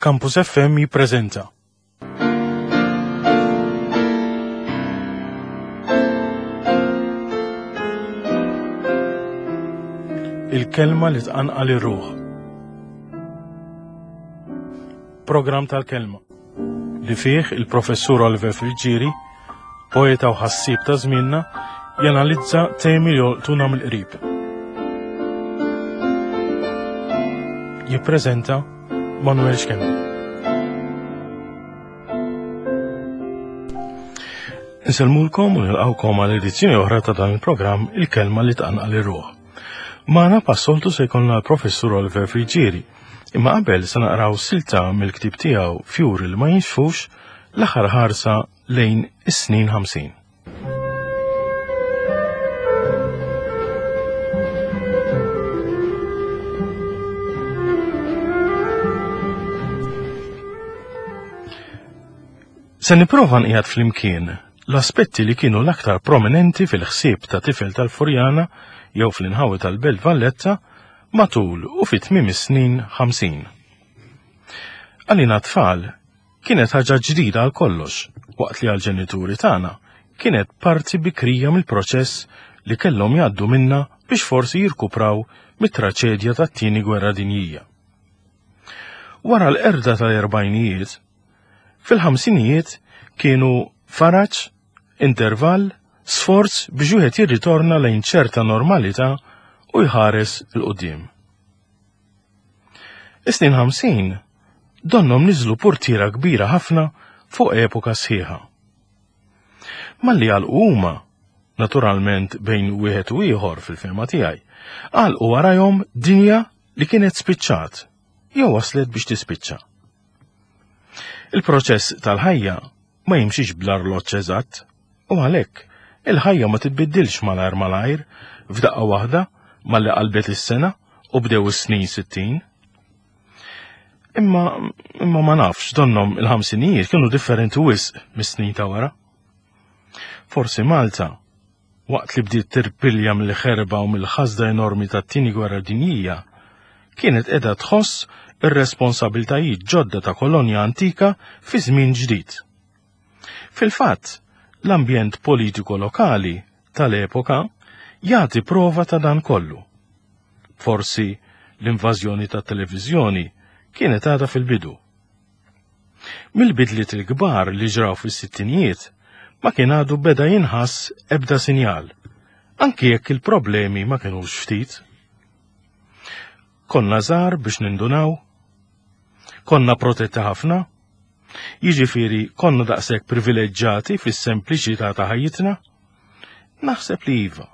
Campus FM jippreżenta. Il-kelma li tqanqal ir-ruħ. Programm tal-kelma li fih il-professur Oliver Friggieri, poeta u ħassieb ta' żmienna, janalizza temi li jolqtuna mill-qrib. Jippreżenta Manuel Schembri. Insellmulkom u nilqawkom għal edizzjoni oħra ta' dan il-programm Il-Kelma li tqanqal ir-ruħ. Magħna passoltu se jkollna l-Professur Oliver Friggieri, imma qabel se naqraw silta mill-ktieb tiegħu Fjuri li ma jinxfux l-aħħar ħarsa lejn is-snin 50. Se nipprova nqiegħed flimkien l-aspetti li kienu l-aktar prominenti fil-ħsieb ta' tifel tal-Furjana jew fl-inħawi tal-Belt Valletta matul u fit tmiem is-snin 50. Għalina tfal Kienet ħaġa ġdida għal kollox, waqt li għall-ġenituri tagħna kienet parti bikrija mill-proċess li kellhom jgħaddu minnha biex forsi jirkupraw mit-traċedja tat-Tieni Gwerra Dinjija. Wara l-qerda tal-erbgħinijiet, fil-ħamsinijiet kienu faraġ, intervall, sforz biex wieħed jirritorna lejn ċerta normalità u jħares 'il quddiem. Is-snin 50 donnhom niżlu purtiera kbira ħafna fuq epoka sħiħa. Malli għalqu huma, naturalment bejn wieħed u ieħor fil-fehma tiegħi, għalqu warajhom dinja li kienet spiċċat jew waslet biex tispiċċa. Il-proċess tal-ħajja ma jimxix bl-arloġġ eżatt u għalhekk il-ħajja ma titbiddilx malajr malajr f'daqqa waħda malli qalbet is-sena u bdew is-snin 60. Imma imma ma nafx donnom il-ħamsinijiet kienu differenti wisq mis-snin ta' wara. Forsi Malta waqt li bdiet tirpilja mill-ħerba u mill-ħasda enormi tat-Tieni Gwerra Dinjija, kienet qiegħda tħoss ir-responsabiltajiet ġodda ta' kolonja antika fi żmien ġdid. Fil-fatt, l-ambjent politiku lokali tal-epoka jagħti prova ta' dan kollu. Forsi l-invażjoni tat-televiżjoni kienet għadha fil-bidu. Mill-bidliet il-kbar li ġraw fis-sittinijiet ma kien għadu beda jinħass ebda sinjal, anki jekk il-problemi ma kinux ftit. Konna żgħar biex nindunaw? Konna protetti ħafna? Jiġifieri konna daqshekk privileġġati fis-sempliċità ta' ħajjitna? Naħseb li iva.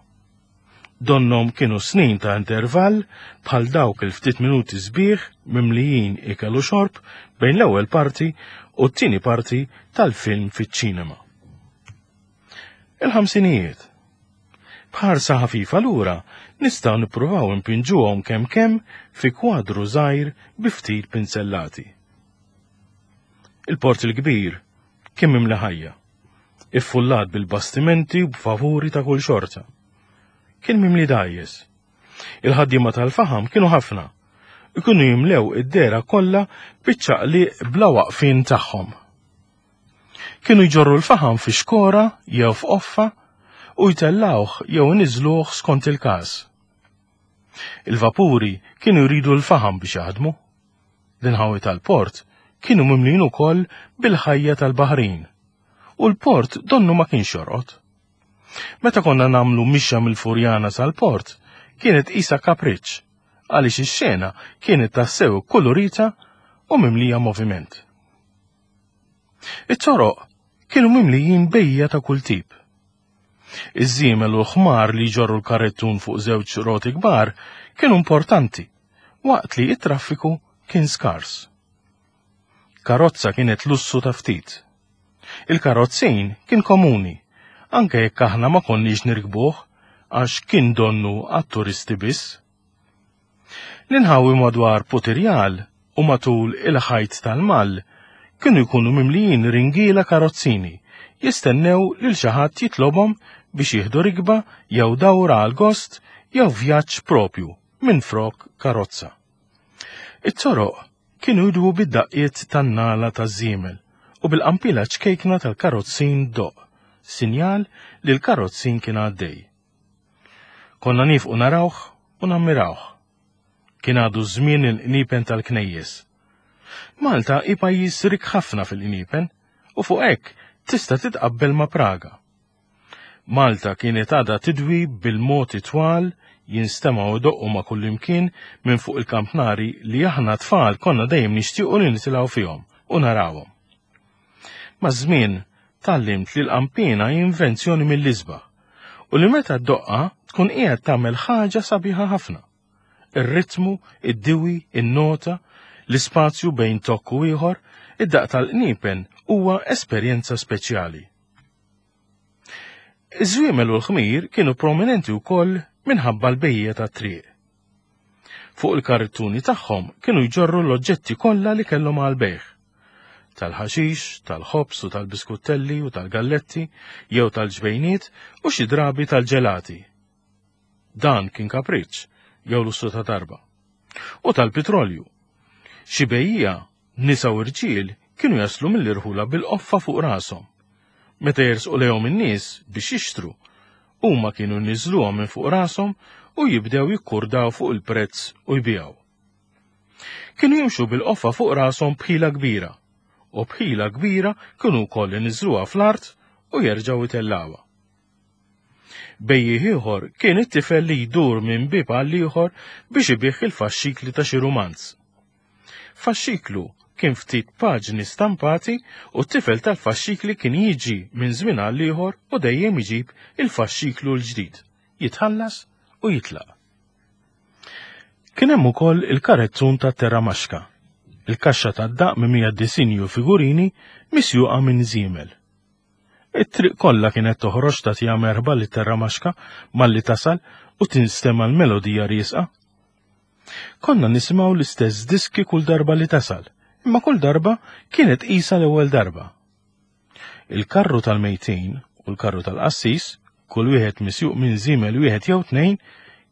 Donnhom kienu snin ta' intervall bħal dawk il-ftit minuti sbieħ mimlijin ikel u xorb bejn l-ewwel parti u t-tieni parti tal-film fiċ-ċinema. Il-ħamsinijiet. B'ħarsa ħafifa lura nistgħu nippruvaw impinġuhom kemm kemm fi kwadru żgħir bi ftit pinzellati. Il-Port il-Kbir kien mimli ħajja. Iffullat bil-bastimenti u b'vapuri ta' kull xorta. Kien mimli dgħajjes. Il-ħaddiema tal-faħam kienu ħafna. Ikunu jimlew id-dera kollha biċ-ċaqliq bla waqfien tagħhom. Kienu jġorru l-faħam fi xkora jew f'qoffa u jtellgħuh jew iniżżluh skont il-każ. Il-vapuri kienu jridu l-faħam biex jaħdmu. L-inħawi tal-port kienu mimlijin ukoll bil-ħajja tal-baħrin u l-port donnu ma kienx jorqod. Meta konna nagħmlu mixja mill-Furjana sal-port, kienet qisha kapriċċ għaliex ix-xena kienet tassew ikkulurita u mimlija moviment. It-toroq kienu mimlijin bejja ta' kull tip. Iż-żiemel u l-ħmar li jġorru l-karrettun fuq żewġ roti kbar kienu importanti, waqt li t-traffiku kien skars. Karozza kienet lussu ta' ftit. Il-karozzin kien komuni, anke jekk aħna ma konniex nirkbuh għax kien donnu għat-turisti biss. L-inħawi madwar Putirjal u matul il-ħajt tal-Mall kienu jkunu mimlijin ringiela karozzini jistennew lil xi ħadd jitlobhom biex jieħdu rikba jew dawra għal gost jew vjaġġ propju minflok karozza. It-toroq. kienu jidwu bid-daqqiet tan-nagħla taż-żiemel u bil-qanpiela ċkejkna tal-karozzin ddoqq, sinjal li l-karozzin kien għaddej. Konna niefqu narawh u nammirawh. Kien għadu żmien il-qniepen tal-knejjes. Malta hi pajjiż rikk ħafna fil-qniepen u fuq hekk tista' titqabbel ma' Praga. Malta kienet għadha tidwi bil-moti twal jinstemgħu idoqqu ma' kullimkien minn fuq il-kampnari li aħna tfal konna dejjem nixtiequ li nitilgħu fihom u narawhom. Maż-żmien tgħallimt li l-qanpiena hi invenzjoni mill-isbaħ u li meta ddoqqha tkun qiegħed tagħmel ħaġa sabiħa ħafna. Ir-ritmu, id-diwi, in-nota, l-ispazju bejn tokk u ieħor, id-daqq tal-qniepen huwa esperjenza speċjali. Iż-żwiemel u l-ħmir kienu prominenti wkoll minħabba l-bejjiegħa tat-triq. Fuq il-karrittuni tagħhom kienu jġorru l-oġġetti kollha li kellhom għall-bejgħ. Tal-ħaxix, tal-ħobż u tal-biskuttelli u tal-galletti jew tal-ġbejniet u xi drabi tal-ġelati. Dan kien kapriċċ jew lussu ta' darba. U tal-pitrolju. Xi bejjiegħa Nisa u rġiel kienu jaslu mill-irħula bil-qoffa fuq rashom. Meta jersqu lejhom in-nies biex jixtru, huma kienu jniżżluha minn fuq rashom u jibdew jikkurdaw fuq il-prezz u jbigħu. Kienu jimxu bil-qoffa fuq rashom b'ħila kbira, u b'ħila kbira kienu wkoll iniżżluha fl-art u jerġgħu jtellgħuha. Bejjiegħ ieħor kien it-tifel li jdur minn bieb għal ieħor biex ibigħ il-faxxikli ta' xi rumanz. Faxxiklu kien ftit paġni stampati u t-tifel tal-faxxikli kien jiġi minn żmien għal ieħor u dejjem iġib il-faxxiklu l-ġdid, jitħallas u jitlaq. Kien hemm ukoll il-karezzun tat-terramaxka, il-kaxxa tad-daqq mimlija disinji u figurini misjuqa minn żiemel. It-triq kollha kienet toħroġ tagħtiha merħba lit-terramaxka malli tasal u tinstema' l-melodija riesqa. Konna nisimgħu l-istess diski kull darba li tasal, imma kull darba kienet qisha l-ewwel darba. Il-karru tal-mejtin u l-karru tal-qassis, kull wieħed misjuq minn żiemel wieħed jew tnejn,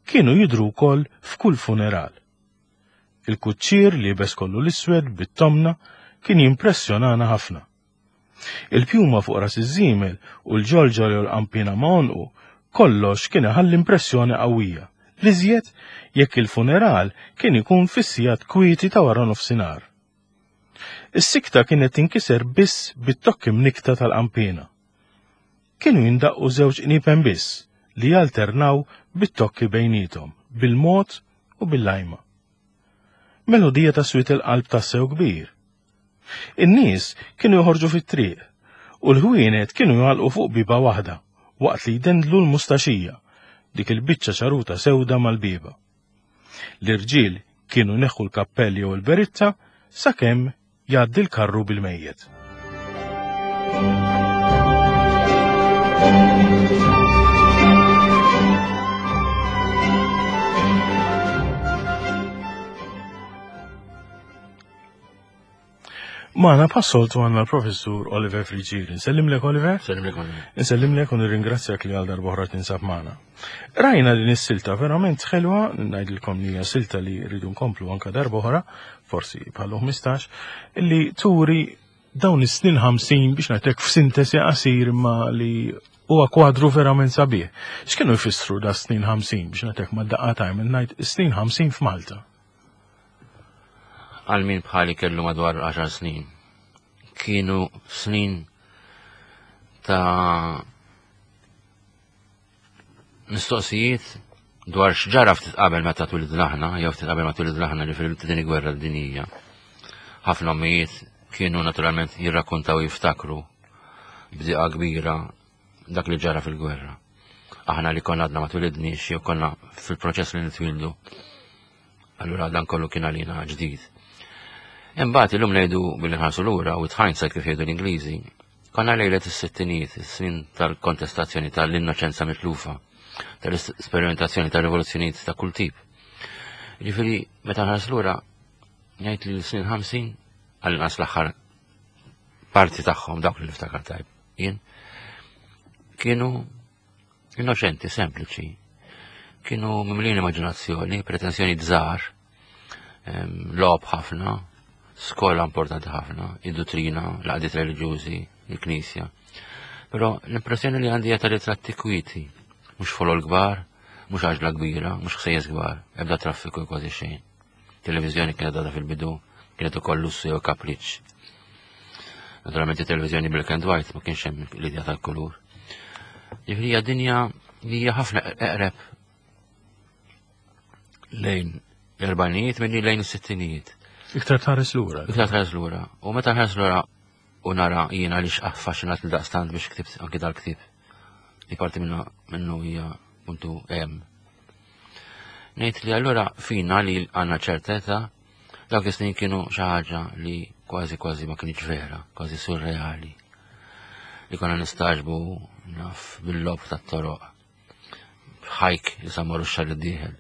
kienu jidhru wkoll f'kull funeral. Il-kuċċier liebes kollu l-iswed bit-tomna kien jimpressjonana ħafna. Il-pjuma fuq ras iż-żiemel u l-ġolġol jew l-qanpiena ma' għonqu, kollox kien iħalli impressjoni qawwija, l-iżjed jekk il-funeral kien ikun fis-sigħat kwieti ta' wara nofsinhar. Is-sikta kienet tinkiser biss bit-tokki mnikkta tal-qanpiena. Kienu jindaqqu żewġ qniepen biss li jalternaw bit-tokki bejniethom, bil-mod u bil-lajma. Melodija ta' swied il-qalb tassew kbir. In-nies kienu joħorġu fit-triq u l-ħwienet kienu jagħlqu fuq bieba waħda waqt li jdendlu l-mustaxija, dik il-biċċa ċaruta sewda mal-bieba. L-irġiel kienu jneħħu l-kappell jew il-beritta sakemm jgħaddi l-karru bil-mejjet. Magħna bħas-soltu għandna l-Professur Oliver Friggieri. Nsellimlek Oliver? Nsellimlek Oliver. Nsellimlek u nirringrazzjak li għal darba oħra tinsab magħna. Rajna din is-silta verament ħelwa, ngħidilkom li hija silta li rridu nkomplu anka darba oħra, forsi bħallu 15, li turi dawn is-snin 50 biex ngħidlek f'sintesi qasir imma li huwa kwadru verament sabiħ. X'kienu jfissru da snin 50 biex ngħidlek ma daqqa tajm ngħid is-snin 50 f'Malta? Għal min bħali kellu madwar 10 snin. Kienu snin ta' mistoqsijiet dwar x'ġara ftit qabel meta twilidna aħna, jew ftit qabel ma twilidna aħna li fil-tieni gwerra dinjija. Ħafna ommijiet kienu naturalment jirrakkontaw jiftakru b'diqa kbira dak li ġara fil-gwerra. Aħna li konna għadna ma twilidniex jew konna fil-proċess li nitwildu. Allura dan kollu kien għalina ġdid. Imbagħad illum ngħidu billi nħarsu lura u hindsight kif jgħidu l-Ingliżi, konna lejlet is-sittinijiet, is-snin tal-kontestazzjoni tal-innoċenza mitlufa, tal-esperimentazzjoni tal-rivoluzzjonijiet ta' kull tip. Ġifieri meta nħarsu lura ngħid li l-snin 50 għall-inqas l-aħħar parti tagħhom dawk li niftakar tajb jien kienu innoċenti, sempliċi. Kienu mimlin immaġinazzjoni, pretensjoni żgħar, logħob ħafna. Skola importanti ħafna, id-duttrina, l-għaqdiet reliġjużi, il-knisja. Però l-impressjoni li għandi hija ta' ritratti kwieti, mhux folol kbar, mhux għaġla kbira, mhux ħsejjes kbar, ebda traffiku kważi xejn. Televiżjoni kienet għadha fil-bidu, kienet ukoll lussu jew kapriċċ. Naturalment it-televiżjoni black and white ma kienx hemm l-idea tal-kulur. Ġifieri hija dinja li hija ħafna eqreb lejn l-erbajnijiet milli lejn is-sittinijiet. Iktar tħares lura. Iktar tħares lura. U meta nħares lura u nara jiena għaliex affaxxinat li daqstant biex ktibt anki dal-ktieb. Li parti minna minnu hija puntu hemm. Ngħid li allura fina li għandna ċertezza dawk is-snin kienu xi ħaġa li kważi kważi ma kienx vera, kważi surreali. Li konna nistaġbu naf bil-lob tat-toroq. Ħajk li sa morru x-xahar id-dieħel,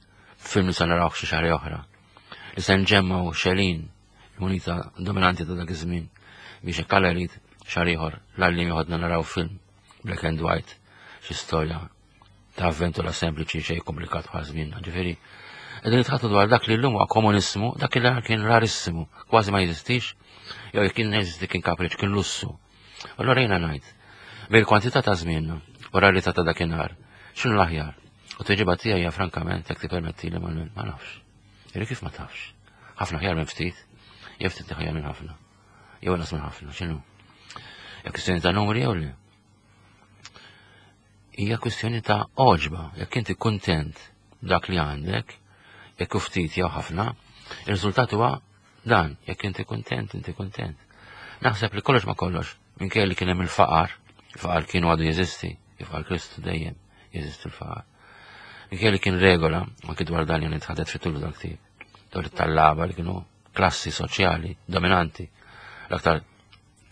film li sa narawh xi xahar oħra. Li se nġemmgħu xelin il-munita dominanti ta' dak iż-żmien biex hekk Alla jrid xahar ieħor l-għalliem joħodna naraw film black and white xi storja ta' avventura sempliċi xejn komplikat bħal żmienna. Ġifieri, qegħdin nitħattu dwar dak li llum huwa komunissimu, dak li kien rarissimu, kważi ma jeżistix, jew jekk kien jeżisti kien kapriċ, kien lussu. Allura jiena ngħid, bil-kwantità ta' żmienna u rarità ta' dakinhar, x'inhu l-aħjar? U tweġiba tiegħi hija frankament jekk tippermettili ma nafx. Iri kif ma tafx? Ħafna ħjar minn ftit, jew ftit ħjar minn ħafna. Jew inqas minn ħafna, x'inhu? Hija kwistjoni ta' numri jew le? Hija kwistjoni ta' oġba, jekk inti kuntent dak li għandek, jekk ftit jew ħafna, ir-riżultat huwa dan, jekk inti kuntent, inti kuntent. Naħseb li kollox ma kollox, minkejja li kien hemm il-faqar, il-faqar kienu għadu jeżisti, kif għal Kristu dejjem jeżisti l-faqar. Minkejja li kien regola, anki dwar dan jien itħadet fit-tul dal-ktieb, dwar it-tallaba li kienu klassi soċjali dominanti, l-aktar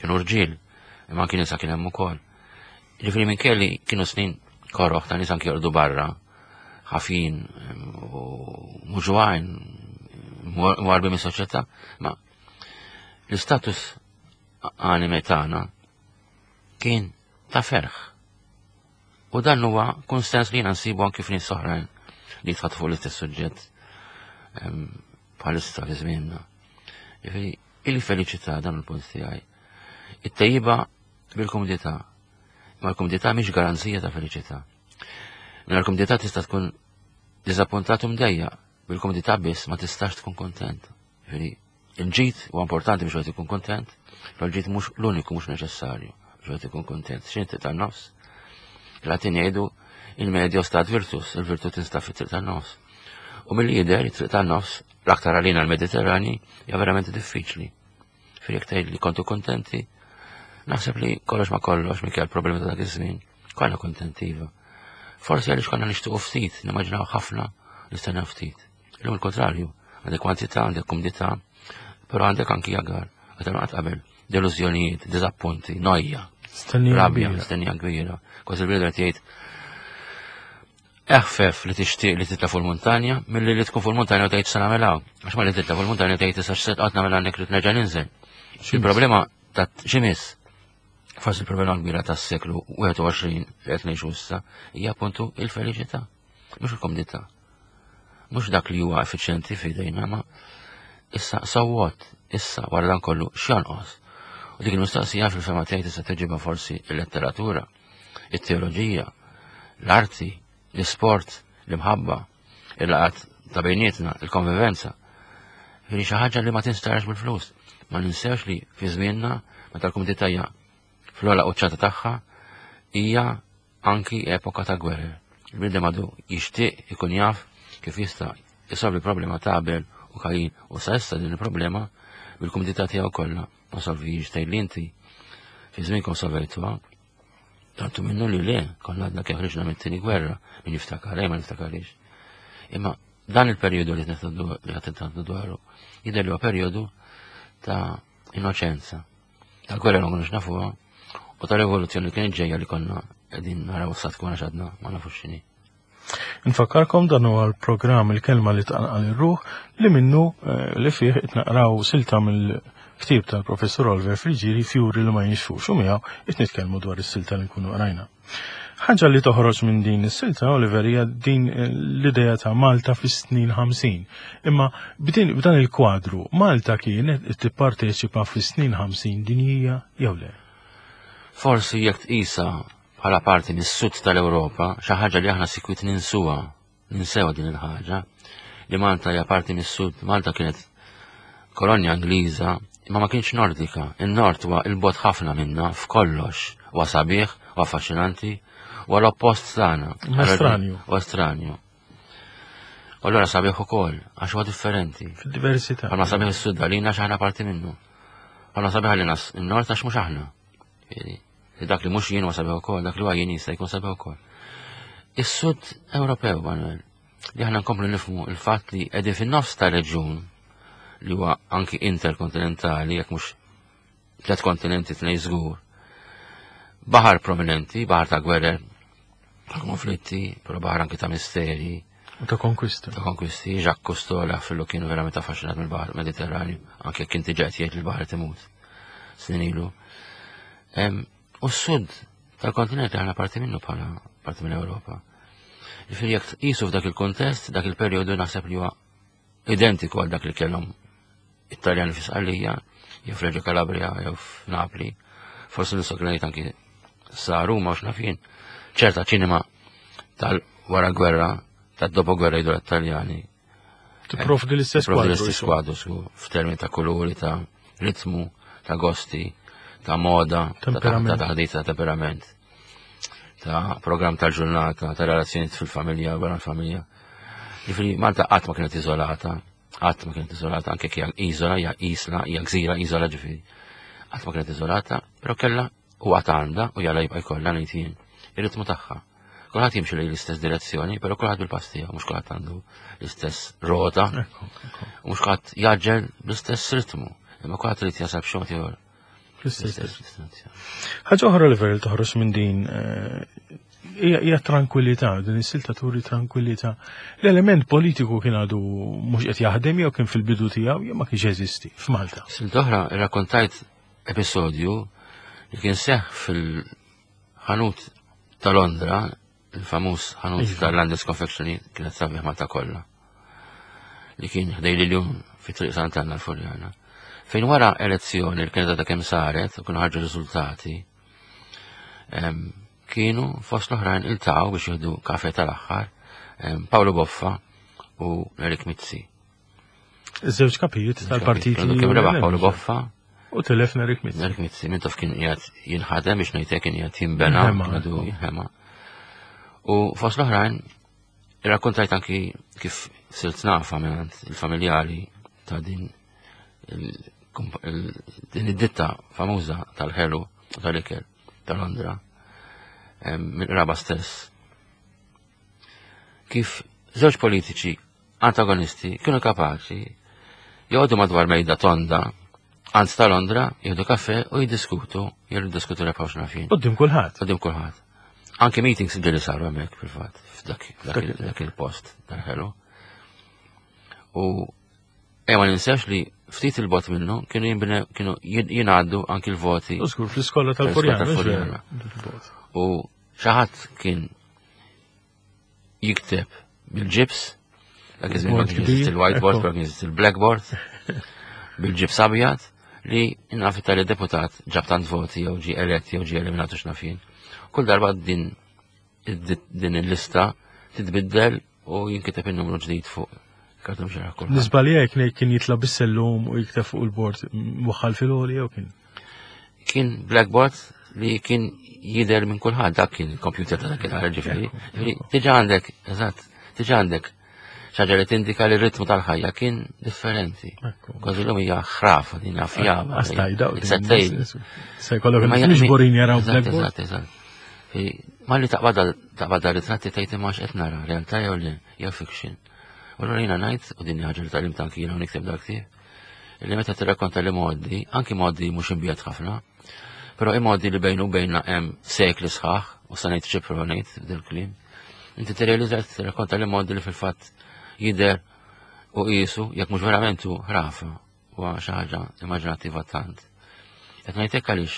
kienu rġiel, imma anki nisa kien hemm ukoll. Ġifieri minkejja li kienu snin koroħ ta' nies anki jorqdu barra, ħafin u muġwajn, warbi mis-soċjetà, ma l-istatus anime tagħna kien ta' ferħ. U dan huwa konsens li jiena nsibu anki f'nies oħrajn li jitħadd fuq l-istess suġġett bħalissa fi żmienna. Jiġifieri il-feliċità dan il-punt tiegħi. It-tejjiba bil-kumdità. Ma l-kumdità mhix garanzija ta' feliċità. Minn l-kumdità tista' tkun diżappuntat u mdejja, bil-kumdità biss ma tistax tkun kontent. Jiġifieri Il-ġid huwa importanti biex wieħed ikun kuntent, però l-ġid mhux l-uniku mhux neċessarju biex wieħed ikun kuntent. X'inhi triq tan-nofs? Il-Latin jgħidu il-medio stat virtus, il-virtu tinstab fit-triq tan-nofs. U milli jidher it-triq tan-nofs, l-aktar għalina l-Mediterrani, hija verament diffiċli. Fil jekk tgħid li kontu kuntenti, naħseb li kollox ma kollox minkejja l-problemi ta' dak iż-żmien, konna kuntenti iva. Forsi għaliex konna nixtiequ ftit, nimmaġinaw ħafna, nistennew ftit. Illum il-kontrarju, għandek kwantità, għandek kumdità, però għandek anki agar, għadha qatt qabel, delużjonijiet, diżappunti, nojja. Rabja, stennija kbira. Kważi l-bniedem qed jgħid eħfef li tixtieq li titla' fuq il-muntanja milli li tkun fuq il-muntanja u tgħid se nagħmel hawn. Għax ma li titla' fuq il-muntanja tgħid issa x'se qatt nagħmel għandek li nerġa' ninżel. Il-problema ta' ximis, forsi il-problema kbira tas-seklu 21 li qed ngħixu issa hija appuntu il-feliċità, mhux il-komdità. Mhux dak li huwa effiċjenti f'idejna, ma issa so what, issa wara dan kollu x'jonqos. U dik il-mistoqsija fil-fema tiegħi tista' tiġibha forsi il-letteratura, it-teoloġija, l-arti, l-isport, l-imħabba, il-laqat ta' bejnietna, il-konvivenza. Ġifieri xi ħaġa li ma tinstarax bil-flus. Ma ninsewx li fi żmienna meta l-kumdità hija fl-ogħla quċċata tagħha hija anki epoka ta' gwerer. Il-bniedem għadu jixtieq ikun jaf kif jista' jsolvi problema ta' Abel u Kajin u sa issa din il-problema bil-kumdità tiegħu kollha ma solvijiex tgħid li inti fi żmienkom solvejtuha. Tantu minnu li le, konna għadna kif ħriġna mit-tieni gwerra, min jiftakar, ma niftakarix. Imma dan il-perjodu li qed dwaru jidher li huwa perjodu ta' innoċenza. Tal-gwerra ma konniex nafuha u ta' rivoluzzjoni li kienet ġejja li konna qegħdin naraw sa tkun għax għadna ma nafux x'inhi. Nfakkarkom dan huwa l-programm il-kelma li tqanqal ir-ruħ li minnu eh, li fih qed naqraw silta mill Ktieb tal-Professur Oliver Friggieri Fjuri li ma jinxfux u miegħu qed nitkellmu dwar is-silta li nkunu qrajna. Ħaġa li toħroġ minn din is-silta, Oliver, hija din eh, l-idea ta' Malta fis-snin 50. Imma b'dan il-kwadru, Malta kienet tipparteċipa fis-snin 50 dinjija jew le? Forsi jekk tqisha bħala parti mis-sud tal-Ewropa, xi ħaġa li aħna sikwit ninsuha Ninsew din il-ħaġa li Malta hija parti mis-sud. Malta kienet kolonja Ingliża imma ma kienx Nordika. In-Nord huwa il-bot ħafna minna f'kollox. Huwa sabiħ, huwa affaxxinanti, huwa l-oppost tagħna. Huwa Huwa stranju. U allura sabiħ ukoll, għax huwa differenti. Fid-diversità. Għalma sabiħ is-sud għalina għax aħna parti minnu. Għalma sabiħ għalina n-nord għax mhux aħna. Li dak li mhux jien huwa sabiħ ukoll, dak li huwa jien jista' jkun sabiħ ukoll. Is-sud Ewropew, Manuel, li aħna nkomplu nifhmu il-fatt li qegħdin fin-nofs ta' reġjun li huwa anki interkontinentali, jekk mhux tliet kontinenti tnej żgur. Baħar prominenti, baħar ta' gwerer, ta' konflitti, però baħar anki ta' misteri. U ta' konkwisti. Ta' konkwisti, Jacques Cousteau fillu kienu verament affaxxinat mill-baħar Mediterranju, anke jekk inti ġejt jgħid li l-baħar timut snin ilu. U s-sud tal-kontinent aħna parti minnu bħala parti minn Ewropa. Ġifieri jekk tqisu f'dak il-kontest, dak il-perjodu naħseb li huwa identiku għal dak li kellhom it-Taljani fi Sqallija, jew f'Reġġo Calabria, jew f'Napli. Forsi nistgħu ngħid anki sa Ruma u x'naf jien. Ċerta ċinema tal-wara gwerra, tad-dopo gwerra jgħidu t-Taljani. Tipprovdi l-istess kwadru. l-istess kwadru, f'termini ta' kuluri, ta' ritmu, ta' gosti, ta' moda, ta' taħdita, ta' temperament, ta' program ta' ġurnata, ta' relazzjoniet fil-familja, wara l-familja. Ġifieri Malta qatt ma kienet iżolata, qatt ma kienet iżolata, anke hija iżola, hija isla, hija gżira, iżola ġifieri. Qatt ma kienet iżolata, però kellha u għad għandha u jalla jibqa' jkollha ngħid jien ir-ritmu tagħha. Kulħadd jimxi lejn l-istess direzzjoni, però kulħadd bil-pass tiegħu, mhux kulħadd għandu l-istess rota, u mhux kulħadd jaġġel bl-istess ritmu, imma kulħadd irid jasal b'xi mod ieħor. Fl-istess destinazzjoni. Ħaġa oħra li vera toħroġ minn din eh, hija tranquillità, din is-silta turi tranquillità. L-element politiku kien għadu mhux qed jaħdem jew kien fil-bidu tiegħu jew ma kienx jeżisti f'Malta. Silta oħra rrakkontajt episodju li kien seħ fil-ħanut ta' Londra, il-famuż ħanut iva. tal-Landis Confectionery kienet sabiħ Malta kollha. Li kien ħdej li l-jum fi triq Sant'Anna l-Furjana. Fejn wara elezzjoni li kienet għadha kemm saret u kienu ħarġu riżultati, kienu fost l-oħrajn iltaqgħu biex jieħdu kafe tal-aħħar Paolo Boffa u Erik Mizzi. Iż-żewġ kapijiet tal-partit. Kemm rebaħ Paolo Boffa. U tilef Nerik Mizzi. Nerik Mizzi, minn taf kien qiegħed jinħadem biex ngħidlek kien qiegħed jinbena, għadu jinħema. U fost l-oħrajn, irrakkontajt anki kif sirt nafa minn il-familjari ta' din din id-ditta famuża tal-ħelu u tal-ikel ta' Londra minn raba stess. Kif żewġ politiċi antagonisti kienu kapaċi joqogħdu madwar mejda tonda għand ta' Londra, jieħdu kafe u jiddiskutu, jiddiskutu rebħaw xnafin. Qudiem kulħadd. Qudiem kulħadd. Anke meetings ġeli saru hemmhekk fil-fatt, f'dak il-post tal-ħelu. U ejja ma ninsex li ftit il-bot minnu kienu jinbne kienu jingħaddu anki l-voti. U żgur fl-iskola tal-Furjana. U xi ħadd kien jikteb bil-ġibs, dak iż-żmien ma kienx jeżisti il-whiteboard, ma kienx jeżisti il-blackboard, bil-ġibs abjad li naf tali deputat ġab tant voti jew ġie elett jew ġie eliminat u x'naf jien. Kull darba din din il-lista titbiddel u jinkiteb in-numru ġdid fuq kartum xara kull. Nisbalja jekk kien jitla bis-sellum u jikteb fuq il-bord waħħal fil-għoli jew kien? Kien blackboard li kien jider minn kulħadd dak kien il-computer ta' dakinhar ġifieri. Diġà għandek, eżatt, diġà għandek xaġa li tindika li r-ritmu tal-ħajja kien differenti. Kważi l-lum hija ħrafa din fjaba. Se jkollok mhux borin jaraw blackboard. Eżatt, eżatt. Ma li taqbad taqbad ritratti tgħid imma x'qed nara, realtà jew le, jew fiction. U allura jiena ngħid, u din ħaġa li tagħlim tanki jiena nikteb dak li meta tirrakkonta li modi, anki modi mhux imbiegħed ħafna, però imodi li bejnu bejna hemm sekli sħaħ, u sa ngħid ċipru ngħid dil-kliem, inti tirrealizza tirrakkonta li modi li fil-fatt jidher u qisu jekk mhux verament hu ħrafa. huwa xi ħaġa immaġinattiva tant. Qed ngħid hekk għaliex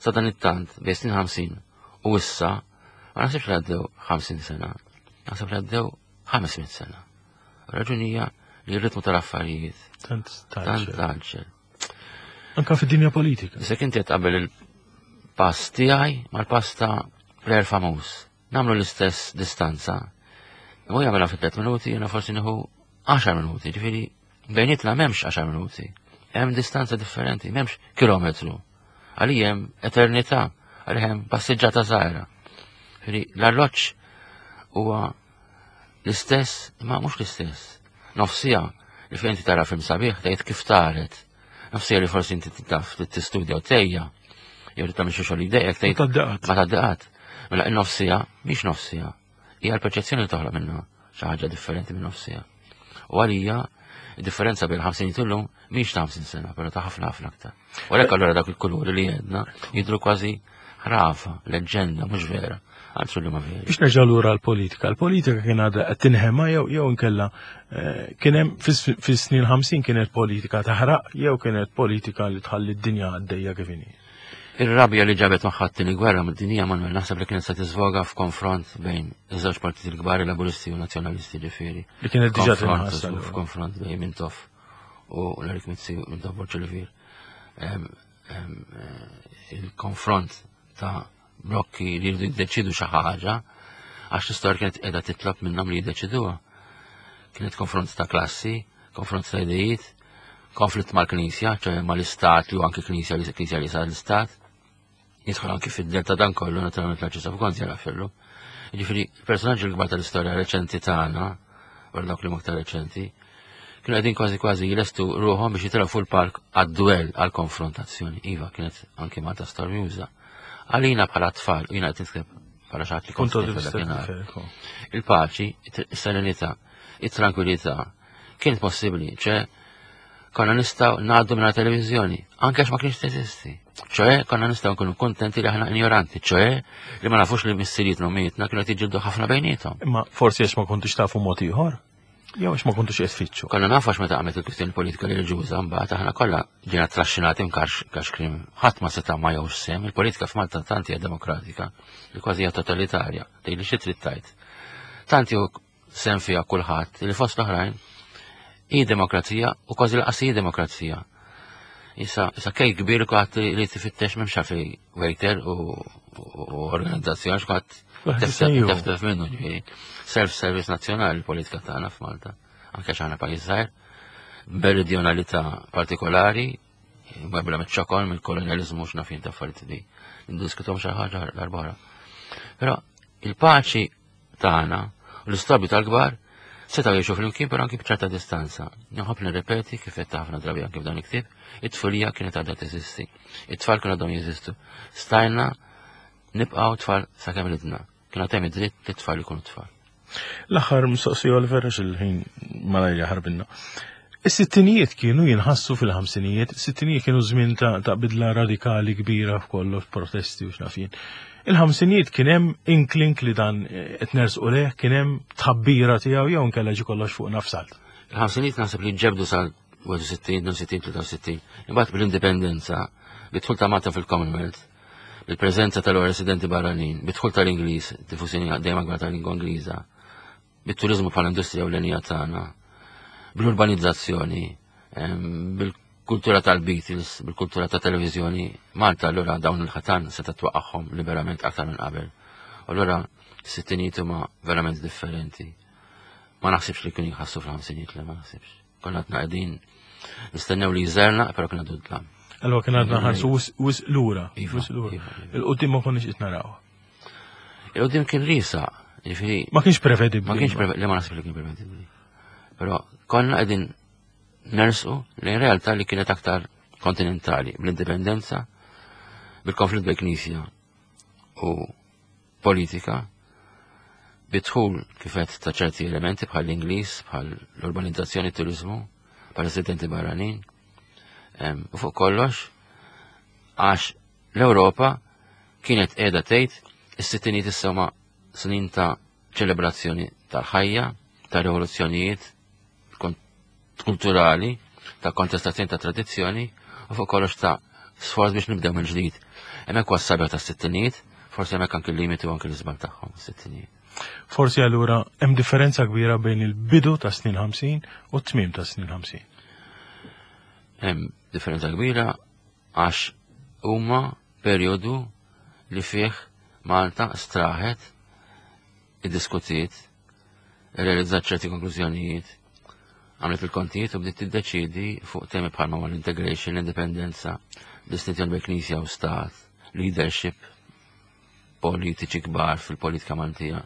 sa dan it-tant bejn snin 50 u issa ma naħsibx li għaddew 50 sena, naħseb li għaddew 500 sena. Raġuni hija li r-ritmu tal-affarijiet tant taġġel. Anka fid-dinja politika. Issa inti qed qabel il-pass tiegħi mal-pass ta' player famuż. Nagħmlu l-istess distanza. U jagħmilha fi 3 minuti, jiena forsi nieħu 10 minuti, ġifieri bejnietna m'hemmx 10 minuti. Hemm distanza differenti, m'hemmx kilometru. Għalija hemm eternità, għalija hemm passiġġata żgħira. Ġifieri l-arloġġ huwa l-istess, imma mhux l-istess. Nofsija li fejn inti tara film sabiħ tgħid kif taret. Nofsija li forsi inti taf tistudja u tejja. Jew tagħmel xi xogħol jdejjek tgħid ma tgħaddiqat. Mela in-nofsija mhix nofsija. Hija l-perċezzjoni li toħloq minnha xi ħaġa differenti minn nofsija. U għalija differenza bejn 50 illum mhix ta' 50 sena, però ta' ħafna ħafna aktar. U għalhekk allura dak il-kuluri li għedna jidhru kważi ħrafa, leġġenda, mhux vera. Għalsu li ma veri. Biex nerġa' lura l-politika. L-politika kien għadha qed tinħema jew jew inkella eh, kien hemm fis-snin 50 kienet politika taħraq jew kienet politika li tħalli d-dinja għaddejja kif inhi. Ir-rabja li ġabet magħha t-tieni gwerra mid-dinja Manuel naħseb li kienet se tiżvoga f'konfront bejn iż-żewġ partiti l-kbar, il-Laburisti u Nazzjonalisti ġifieri. Li kienet diġà tinħass. F'konfront bejn Mintoff u l-Erik Mizzi u Mintoff Borg Olivier. Eh, il-konfront ta' blokki li jridu jiddeċidu xi ħaġa għax l-istorja kienet qiegħda titlob minnhom li jiddeċiduha. Kienet konfront ta' klassi, konfront ta' idejiet, konflitt mal-Knisja, ċoħe mal-Istat li anki Knisja li Knisja li sar l-Istat. Jidħol anki fid-del ta' dan kollu, naturalment l-Arċisqof Gonzi jara fillu. Jiġifieri, personaġġi l-kbar tal-istorja reċenti tagħna, wara dawk li aktar reċenti, kienu qegħdin kważi kważi jilestu ruħhom biex jitilgħu fuq il-park għad-duell għall-konfrontazzjoni. Iva, kienet anki Malta stormjuża. Għalina bħala tfal, u jiena qed nitkellem bħala xi ħadd li kont Il-paċi, is-serenità, it-tranquillità kienet possibbli, ċe konna nistgħu ngħaddu minn televiżjoni, anke għax ma kienx teżisti. ċoe konna nistgħu nkunu kontenti li aħna ignoranti, ċoe li ma nafux li missirietna u mietna kienu qed jiġġieldu ħafna bejniethom. Imma forsi għax ma kontux tafu mod ieħor? Jew għax ma kontux qed tfittxu. Konna nafu għax meta qamet il-kwistjoni politika reliġjuża mbagħad aħna kollha ġejna traxxinati mkax krim ħadd ma seta' ma jgħux sem, il-politika f'Malta tant hija demokratika li kważi hija totalitarja, tgħidli xi trid tgħid. Tant jew sem fiha kulħadd li fost l-oħrajn hi demokrazija u kważi laqas hi demokrazija. Issa, issa kej kbir kulħadd li tifittex m'hemmx għalfejn waiter u organizzazzjoni x'kulħadd teftef minnu ġifieri. Self-service nazzjonali l-politika tagħna f'Malta, anke x'aħna pajjiż żgħir, meridjonalità partikolari, Mabla miċ-ċokon, mill-kolonializmu x'nafin ta' affarijiet li ndiskutom xi ħaġa l-arbara. Però il-paċi tagħna u l-istorbju tal-kbar setgħu jgħixu flimkien però anki b'ċerta distanza. Nħobb nirrepeti kif qed ħafna drabi anki f'dan il-ktieb, it-tfulija kienet għadha teżisti. It-tfal kienu għadhom jeżistu. Stajna nibqgħu tfal sakemm ridna. Kien għad hemm id-dritt li t-tfal ikunu tfal. L-aħħar mistoqsija Oliver għax il-ħin malajr jaħarbinna. Is-sittinijiet kienu jinħassu fil-ħamsinijiet, is-sittinijiet kienu żmien ta', ta bidla radikali kbira f'kollox protesti u x'nafin. Il-ħamsinijiet kien hemm inklink li dan eh, qed nersqu leh, kien hemm tħabbira tiegħu jew inkella ġi kollox fuq nafsalt. Il-ħamsinijiet naħseb li ġebdu sal 61, 62, 63. Imbagħad bil-indipendenza, bit-dħul ta' Malta fil-Commonwealth, bil-preżenza tal-residenti barranin, bid-dħul tal-Ingliż, diffużjoni dejjem akbar tal-lingwa Ingliża, bit-turiżmu bħala industrija ewlenija tagħna, bl-urbanizzazzjoni, bil-kultura tal-Beatles, bil-kultura ta' televiżjoni, Malta allura dawn il-ħatan seta' twaqqagħhom liberament aktar minn qabel. Allura s-sittinijiet huma verament differenti. Ma naħsibx li kienu jħassu fil-ħamsinijiet li ma naħsibx. Konna għadna qegħdin nistennew li jżerna, però kien għadu dlam. Allora kien għadna ħarsu wis lura. Iva, Wis lura. iva, iva. Il-qudiem ma konniex qed naraw. Il-qudiem kien risa, ġifieri Ma kienx prevedibbli. ma kienx prevedibbli, ma naħseb li kien prevedibbli. Però konna qegħdin nersqu lejn realtà li kienet aktar kontinentali, bl-indipendenza, bil-konflitt bejn knisja u politika, bidħul kif għedt ta' ċerti elementi bħal l-Ingliż, bħal l-urbanizzazzjoni, turizmu, bħal residenti barranin. U fuq kollox, għax l-Ewropa kienet qiegħda tgħid is-sittinijiet issa huma snin ta' ċelebrazzjoni tal-ħajja, ta' rivoluzzjonijiet kulturali. ta' kontestazzjoni ta' tradizzjoni u fuq kollox ta' sforz biex nibdew mill-ġdid. Hemmhekk huwa s-sabiħ tas-sittinijiet, forsi hemmhekk anki l-limiti u anki l-iżbal tagħhom is-sittinijiet. Forsi allura hemm differenza kbira bejn il-bidu ta' snin 50 u t-tmiem ta' snin 50. Hemm differenza kbira għax huma perjodu li fih Malta straħet, iddiskutiet, irrealizzat ċerti konklużjonijiet, għamlet il-kontijiet u bdiet tiddeċiedi fuq temi bħalma ma l-integration, l-indipendenza, distinzjoni bejn knisja u stat, leadership, politiċi kbar fil-politika Maltija.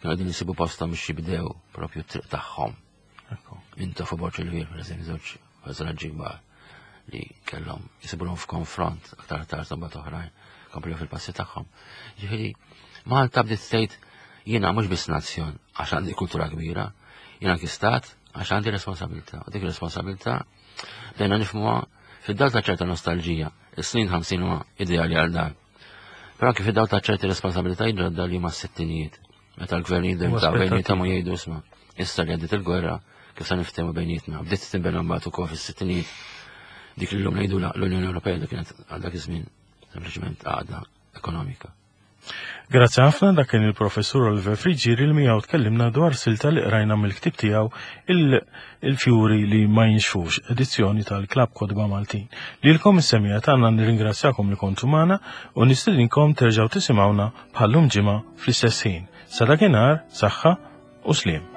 Kienu qegħdin isibu posthom biex jibdew propju t-triq tagħhom. Inta fuq Borġ il-Vir, per eżempju, żewġ personaġġi kbar li kellhom jisibulhom f'konfront aktar tard imbagħad oħrajn komplew fil-passi tagħhom. Ġifieri, Malta bdiet tgħid jiena mhux biss nazzjon għax għandi kultura kbira, jiena anki stat għax għandi responsabilità. U dik responsabilità bdejna nifhmuha fid-dawl ta' ċerta nostalġija. Is-snin 50 huma ideali għal dan. Però anki fid-dawl ta' ċerti responsabilitajiet ġodda li huma s-sittinijiet. Meta l-gvernijiet ta' bejniethom u jgħidu isma' issa li għaddiet il-gwerra kif se niftehmu bejnietna. Bdiet tinbena mbagħad ukoll fis-sittinijiet dik li llum ngħidu l-Unjoni Ewropea li kienet għal dak iż-żmien sempliċement għaqda ekonomika. Grazzi ħafna dak kien il-professur Oliver Friggieri li miegħu tkellimna dwar silta li qrajna mill-ktieb tiegħu il-fjuri li ma jinxfux, edizzjoni tal-Klabb Kotba Maltin. Lilkom is-semija tagħna nirringrazzjakom li kontu magħna u nistedinkom terġgħu tisimgħuna bħallum ġimgħa fl-istess ħin. Sa dakinhar, saħħa u sliem.